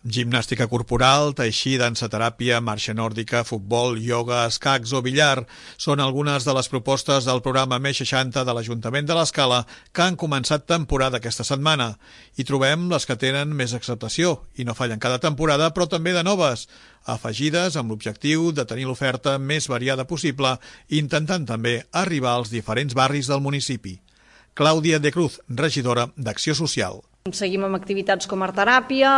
Gimnàstica corporal, tai chi, dansa teràpia, marxa nòrdica, futbol, ioga, escacs o billar són algunes de les propostes del programa Més 60 de l'Ajuntament de l'Escala que han començat temporada aquesta setmana. Hi trobem les que tenen més acceptació i no fallen cada temporada, però també de noves, afegides amb l'objectiu de tenir l'oferta més variada possible, intentant també arribar als diferents barris del municipi. Clàudia de Cruz, regidora d'Acció Social. Seguim amb activitats com artteràpia,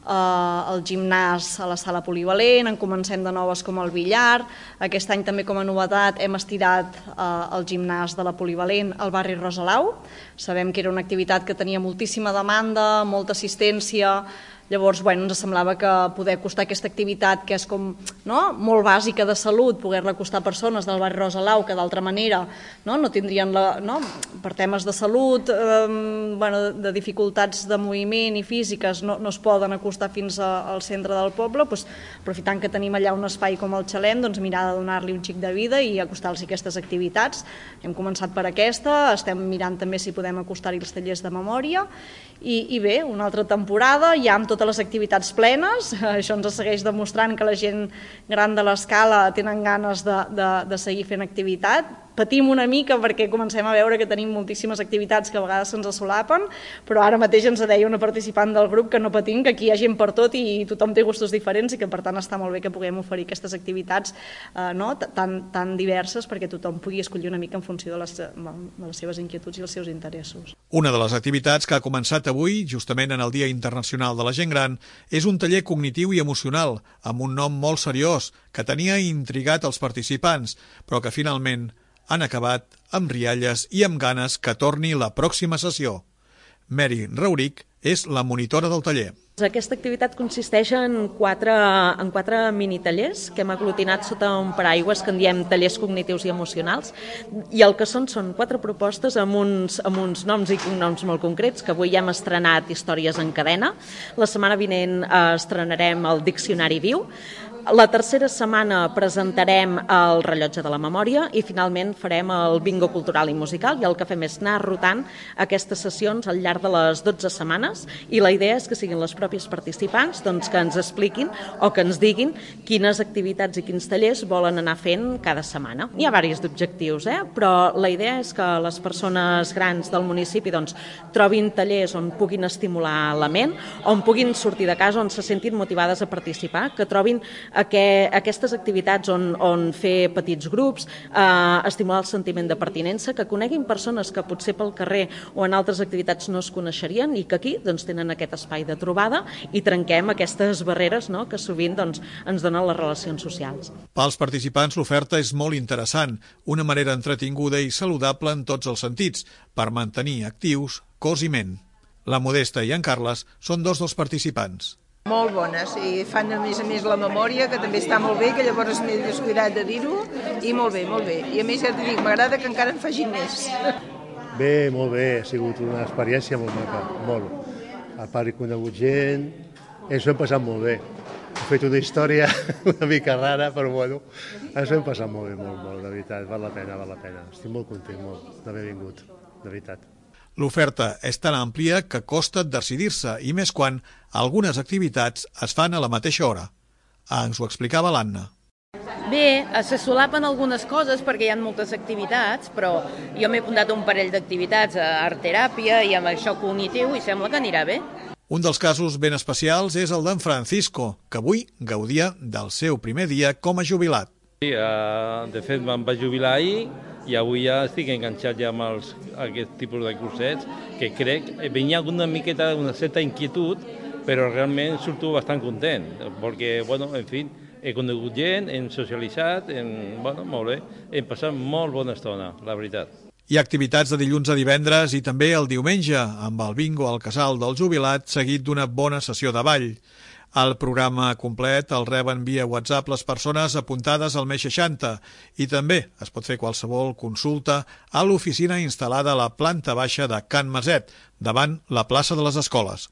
el gimnàs a la sala polivalent, en comencem de noves com el billar. Aquest any també com a novetat hem estirat el gimnàs de la polivalent al barri Rosalau. Sabem que era una activitat que tenia moltíssima demanda, molta assistència. Llavors, ens semblava que poder acostar aquesta activitat, que és com molt bàsica de salut, poder-la acostar a persones del barri Rosalau que d'altra manera no tindrien, per temes de salut, de dificultats de moviment i físiques, no es poden acostar fins al centre del poble, aprofitant que tenim allà un espai com el Xalem, mirar de donar-li un xic de vida i acostar-los aquestes activitats. Hem començat per aquesta, estem mirant també si podem acostar-hi els tallers de memòria i bé, una altra temporada, ja amb totes les activitats plenes, això ens segueix demostrant que la gent gran de l'Escala tenen ganes de seguir fent activitat. Patim una mica perquè comencem a veure que tenim moltíssimes activitats que a vegades se'ns solapen, però ara mateix ens deia una participant del grup que no patim, que aquí hi ha gent per tot i tothom té gustos diferents i que per tant està molt bé que puguem oferir aquestes activitats tan diverses perquè tothom pugui escollir una mica en funció de les seves inquietuds i els seus interessos. Una de les activitats que ha començat avui, justament en el Dia Internacional de la Gent Gran, és un taller cognitiu i emocional, amb un nom molt seriós, que tenia intrigat els participants, però que finalment han acabat amb rialles i amb ganes que torni la pròxima sessió. Mary Rauric és la monitora del taller. Aquesta activitat consisteix en quatre minitallers que hem aglutinat sota un paraigües que en diem tallers cognitius i emocionals, i el que són 4 propostes amb uns noms i cognoms molt concrets, que avui ja hem estrenat Històries en cadena, la setmana vinent estrenarem el Diccionari viu, la tercera setmana presentarem el Rellotge de la memòria i finalment farem el bingo cultural i musical, i el que fem és anar rotant aquestes sessions al llarg de les 12 setmanes i la idea és que siguin les pròpies participants que ens expliquin o que ens diguin quines activitats i quins tallers volen anar fent cada setmana. Hi ha diversos objectius, però la idea és que les persones grans del municipi trobin tallers on puguin estimular la ment, on puguin sortir de casa, on se sentin motivades a participar, que trobin aquestes activitats on fer petits grups, estimular el sentiment de pertinença, que coneguin persones que potser pel carrer o en altres activitats no es coneixerien i que aquí tenen aquest espai de trobada i trenquem aquestes barreres que sovint ens donen les relacions socials. Pels participants l'oferta és molt interessant, una manera entretinguda i saludable en tots els sentits, per mantenir actius cos i ment. La Modesta i en Carles són 2 dels participants. Molt bones, i fan a més la memòria, que també està molt bé, que llavors m'he descuidat de dir-ho, i molt bé, molt bé. I a més ja t'ho dic, m'agrada que encara en facin més. Bé, molt bé, ha sigut una experiència molt maca, molt. A part he conegut gent, ens ho hem passat molt bé. He fet una història una mica rara, però ens ho hem passat molt bé, molt, de veritat, val la pena. Estic molt content, molt, d'haver vingut, de veritat. L'oferta és tan àmplia que costa decidir-se, i més quan algunes activitats es fan a la mateixa hora. Ens ho explicava l'Anna. Bé, se solapen algunes coses perquè hi ha moltes activitats, però jo m'he apuntat un parell d'activitats a artteràpia i amb això cognitiu i sembla que anirà bé. Un dels casos ben especials és el d'en Francisco, que avui gaudia del seu primer dia com a jubilat. Sí, de fet me'n vaig jubilar ahir i avui ja estic enganxat ja amb aquest tipus de cursets, que crec que venia una miqueta una certa inquietud, però realment surto bastant content, perquè, en fi, he conegut gent, hem socialitzat, molt bé, hem passat molt bona estona, la veritat. Hi ha activitats de dilluns a divendres i també el diumenge, amb el bingo al casal del jubilat, seguit d'una bona sessió de ball. El programa complet el reben via WhatsApp les persones apuntades al Més 60 i també es pot fer qualsevol consulta a l'oficina instal·lada a la planta baixa de Can Maset, davant la plaça de les Escoles.